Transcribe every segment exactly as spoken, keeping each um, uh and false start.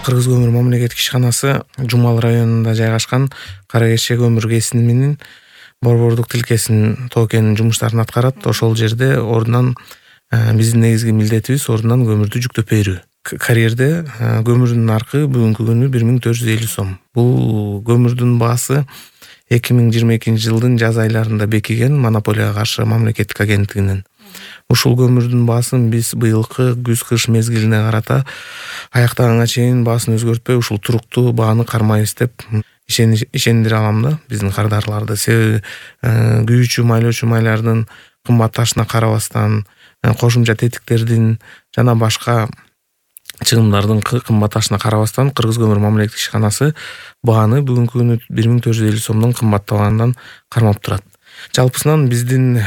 Кыргыз көмүр мамлекеттик ишканасы Жумал районунда жайгашкан Кара Кече көмүр кесининин борбордук тилкесин тоо кен жумуштарын аткарат. Ошол жерде ордунан биздин негизги милдетибиз ордунан көмүрдү жүктөп берүү. Карьерде көмүрдүн наркы бүгүнкү күнү бир миң төрт жүз элүү сом. Бул көмүрдүн баасы эки миң жыйырма экинчи жылдын жаз айларында бекиген монополияга каршы мамлекеттик агенттигинин. Ушул көмүрдүн баасын биз быйылкы күз-кыш мезгилине карата аяктаганга чейин баасын өзгөртпөй ушул туруктуу бааны кармайбыз деп ишендире алам да биздин кардарларды. Себеби күйүүчү майлоочу майлардын кымбатташына карабастан, кошумча тетиктердин жана башка чыгымдардын кымбатташына карабастан Кыргыз көмүр мамлекеттик ишканасы бааны бүгүнкү күнү бир миң төрт жүз элүү сомдон кымбаттабагандан кармап турат. Жалпысынан биздин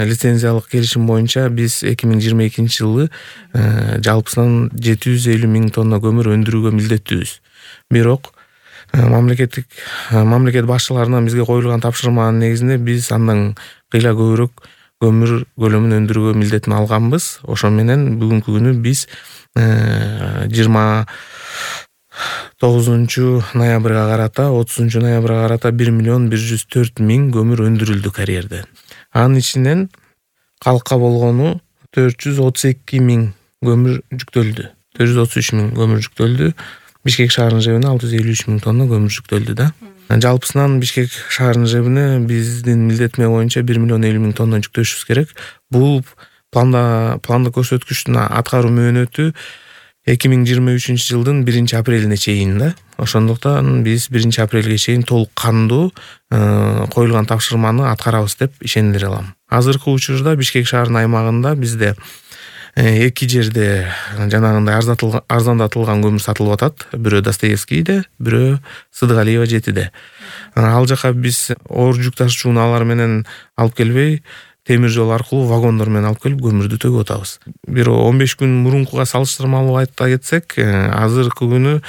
лицензиялык келишим боюнча биз эки миң жыйырма экинчи жылы жалпысынан жети жүз элүү миң тонна көмүр өндүрүүгө милдеттүүбүз. Бирок мамлекеттик мамлекет башчыларынан бизге коюлган тапшырманын негизинде биз андан кыйла көбүрөөк көмүр көлөмүн өндүрүүгө милдетин алганбыз. Ошо менен бүгүнкү күнү биз жыйырма тогузунчу ноябрга карата отузунчу ноябрга карата бир миллион бир жүз төрт миң көмүр өндүрүлдү карьерде. Анын ичинен калкка болгону төрт жүз отуз эки миң көмүр жүктөлдү. төрт жүз отуз үч миң көмүр жүктөлдү. Бишкек шаарынын жебине алты жүз элүү үч миң тонна көмүр жүктөлдү да. Жалпысынан Бишкек шаарынын жебине биздин милдетме боюнча бир миллион элүү миң тонна жүктөшүбүз керек. Бул планда пландык көрсөткүчтүн аткаруу мөөнөтү эки миң жыйырма үчүнчү жылдын биринчи апрелине чейин да. Ошондуктан биз биринчи апрелге чейин толук кандуу коюлган тапшырманы аткарабыз деп ишендире алам. Азыркы учурда Бишкек шаарынын аймагында бизде эки жерде жанагындай арзандатылган көмүр сатылып атат. Бирөө Достоевскийде, бирөө Сыдыгалиева жетиде. Ал жака биз оор жүк ташуучу унаалар менен алып келбей, темир жол аркылуу вагондор менен алып келип көмүрдү төгүп атабыз. Бир он беш күн мурункуга салыштырмалуу айта кетсек, азыркы күнү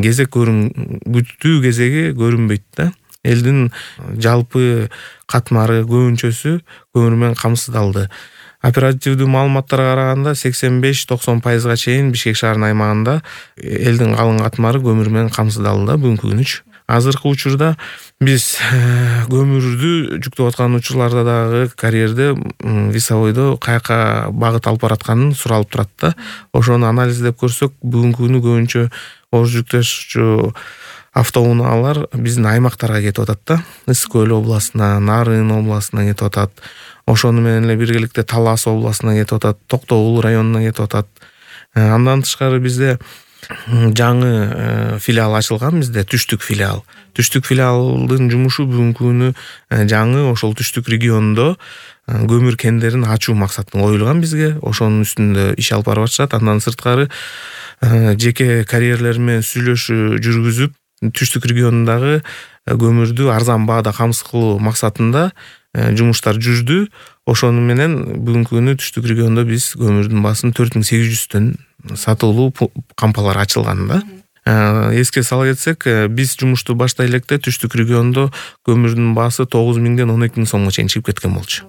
кезек күтүү кезеги көрүнбөйт да. Элдин жалпы катмары көбүнчөсү көмүр менен камсыздалды. Оперативдүү маалыматтарга караганда сексен беш токсон пайызга чейин Бишкек шаарынын аймагында элдин калың катмары көмүр менен камсыздалды да бүгүнкү күнүчү. Азыркы учурда биз көмүрдү жүктөп аткан учурларда дагы карьерде весовойдо каяка багыт алып баратканын суралып турат да. Ошону анализдеп көрсөк, бүгүнкү күнү көбүнчө оор жүк ташуучу автоунаалар биздин аймактарга кетип атат да. Ысык көл областына, Нарын областына кетип атат. Ошону менен эле биргеликте Талас областына кетип атат, Токтогул районуна кетип атат. Андан тышкары бизде жаңы филиал ачылган, бизде Түштүк филиал. Түштүк филиалдын жумушу бүгүнкү күнү жаңы ошол Түштүк региондо көмүр кендерин ачуу максатында коюлган бизге. Ошонун үстүндө иш алып барып атышат. Андан сырткары жеке карьерлер менен сүйлөшүү жүргүзүп, Түштүк регионундагы көмүрдү арзан баада камсыз кылуу максатында жумуштар жүрдү. Ошону менен бүгүнкү күнү Түштүк региондо биз көмүрдүн баасын төрт миң сегиз жүздөн сатылуу кампалар ачылган да. Эске сала кетсек, биз жумушту баштай электе Түштүк региондо көмүрдүн баасы тогуз миңден он эки миң сомго чейин чыгып кеткен болчу.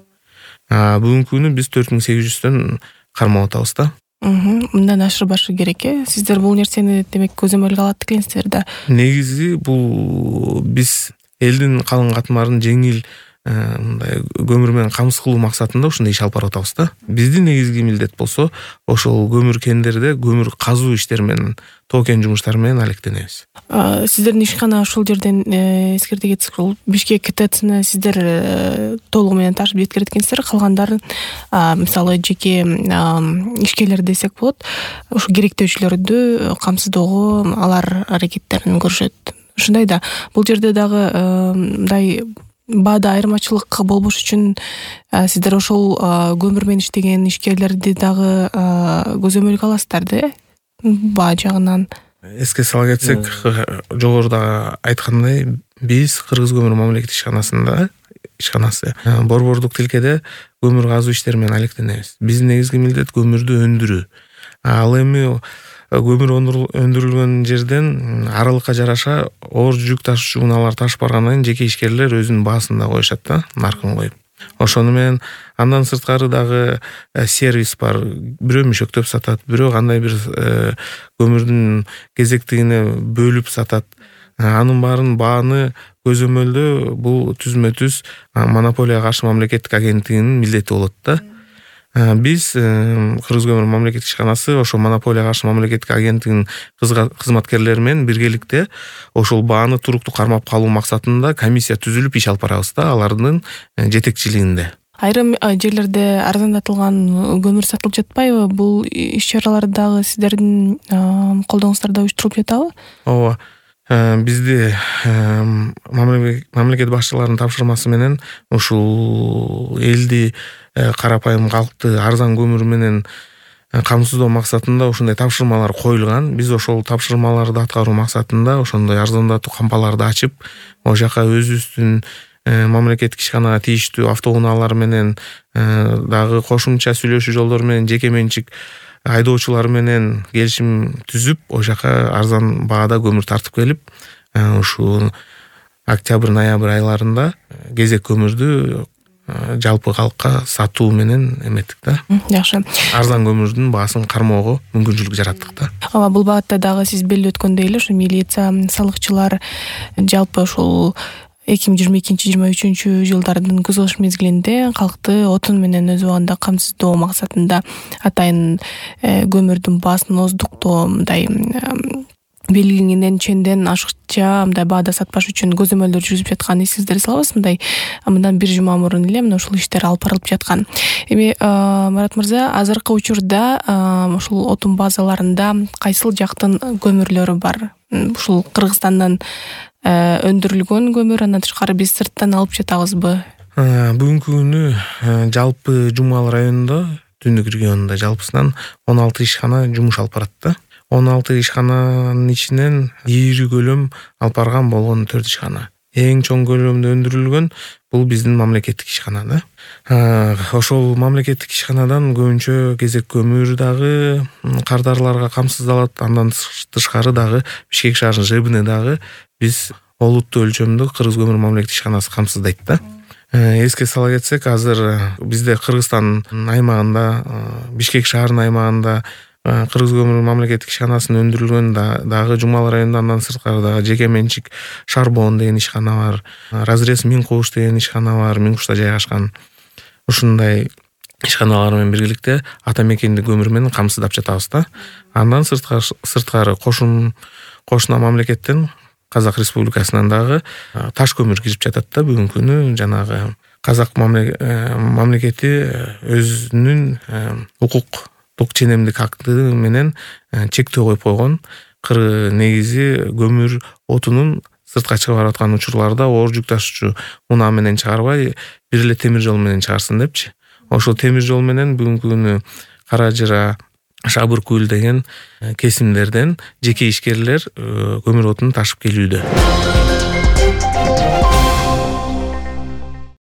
Бүгүнкү күнү биз төрт миң сегиз жүздөн кармап атабыз да. Мындан ашырбашы керек э. Сиздер бул нерсени демек көзөмөлгө алат экенсиздер да. Негизи бул биз элдин калың катмарын жеңил мындай көмүр менен камсыз кылуу максатында ушундай иш алып барып атабыз да. Биздин негизги милдет болсо ошол көмүр кендерде көмүр казуу иштери менен, тоо кен жумуштары менен алектенебиз. Сиздердин ишкана ушул жерден эскерте кетсек, Бишкек КТЦны сиздер толугу менен ташып жеткирет экенсиздер. Калгандарын мисалы жеке ишкерлер десек болот, ушу керектөөчүлөрдү камсыздоого алар аракеттерин көрүшөт. Ушундай да. Бул жерде дагы мындай баада айырмачылык болбош үчүн сиздер ошол көмүр менен иштеген ишкерлерди дагы көзөмөлгө аласыздар да, баа жагынан. Эске сала кетсек, жогоруда айткандай, биз Кыргыз көмүр мамлекеттик ишканасында ишканасы борбордук тилкеде көмүр казуу иштери менен алектенебиз. Биздин негизги милдет көмүрдү өндүрүү. Ал эми көмүр өндүрүлгөн жерден аралыкка жараша оор жүк ташуучу унаалар ташып баргандан кийин жеке ишкерлер өзүнүн баасын да коюшат да, наркын коюп. Ошону менен андан сырткары дагы сервис бар. Бирөө мüşөктөп сатат, бирөө кандай бир көмүрдүн кезектигине бөлүп сатат. Анын баарын бааны көзөмөлдөө бул түзмө түз монополияга каршы мамлекеттик агенттигинин милдети болот да. Биз Кыргыз көмүр мамлекеттик ишканасы ошо монополияга каршы мамлекеттик агенттигинин кызматкерлери менен биргеликте ошол бааны туруктуу кармап калуу максатында комиссия түзүлүп иш алып барабыз да, алардын жетекчилигинде. Айрым жерлерде арзандатылган көмүр сатылып жатпайбы? Бул иш-чаралар дагы сиздердин колдооңуздарда уюштурулуп жатабы? Ооба. Бизди мамлекет башчыларынын тапшырмасы менен ушул элди, карапайым калкты арзан көмүр менен камсыздоо максатында ушундай тапшырмалар коюлган. Биз ошол тапшырмаларды аткаруу максатында ошондой арзандатуу кампаларды ачып, ошол жака өзүбүздүн мамлекеттик ишканага тийиштүү автоунаалар менен дагы кошумча сүйлөшүү жолдору менен жеке менчик айдоочулар менен келишим түзүп, ошол жака арзан баада көмүр тартып келип, ушул октябрь-ноябрь айларында кезек көмүрдү жалпы калкка сатуу менен эметтик да. Жакшы. Арзан көмүрдүн баасын кармоого мүмкүнчүлүк жараттык да. Ооба, бул багытта дагы сиз белгилеп өткөндөй эле ушу милиция, салыкчылар жалпы ушул эки миң жыйырма экинчи жыйырма үчүнчү жылдардын күз кыш мезгилинде калкты отун менен өз убагында камсыздоо максатында атайын көмүрдүн баасын оздуктоо, мындай белгиленген ченден ашыкча мындай баада сатпаш үчүн көзөмөлдөр жүргүзүп жатканын эсиңиздерде салабыз. Мындай мындан бир жума мурун эле мына ушул иштер алып барылып жаткан. Эми Марат мырза, азыркы учурда ушул отун базаларында кайсыл жактын көмүрлөрү бар? Ушул Кыргызстандан өндүрүлгөн көмүр, андан тышкары биз сырттан алып жатабызбы? Бүгүнкү күнү жалпы Жумал районунда, Түндүк регионунда жалпысынан он алты ишкана жумуш алып барат да. он алты ишкананын ичинен ийри көлөм алып барган болгон төрт ишкана. Эң чоң көлөмдө өндүрүлгөн бул биздин мамлекеттик ишкана да. Ошол мамлекеттик ишканадан көбүнчө кезек көмүр дагы кардарларга камсыздалат. Андан тышкары дагы Бишкек шаарынын ЖЭБине дагы биз олуттуу өлчөмдө Кыргыз көмүр мамлекеттик ишканасы камсыздайт да. Эске сала кетсек, азыр бизде Кыргызстан аймагында, Бишкек шаарынын аймагында Кыргыз көмүр мамлекеттик ишканасынын өндүрүлгөн дагы Жумал районунда, андан сырткары дагы жеке менчик Шарбон деген ишкана бар, Разрез Миңкуш деген ишкана бар, Миңкушта жайгашкан. Ушундай ишканалар менен биргеликте ата мекенди көмүр менен камсыздап жатабыз да. Андан сырткары кошум кошуна мамлекеттен, Казак Республикасынан дагы таш көмүр кирип жатат да. Бүгүнкү күнү жанагы Казак мамлекети өзүнүн укуктук ченемдик акты менен чектөө коюп койгон. Негизи көмүр отунун сыртка чыгып бараткан учурларда оор жүк ташуучу унаа менен чыгарбай, бир эле темир жол менен чыгарсын депчи. Ошол темир жол менен бүгүнкү күнү Кара Жыра, Шабыр Көл деген кесимдерден жеке ишкерлер көмүр отун ташып келүүдө.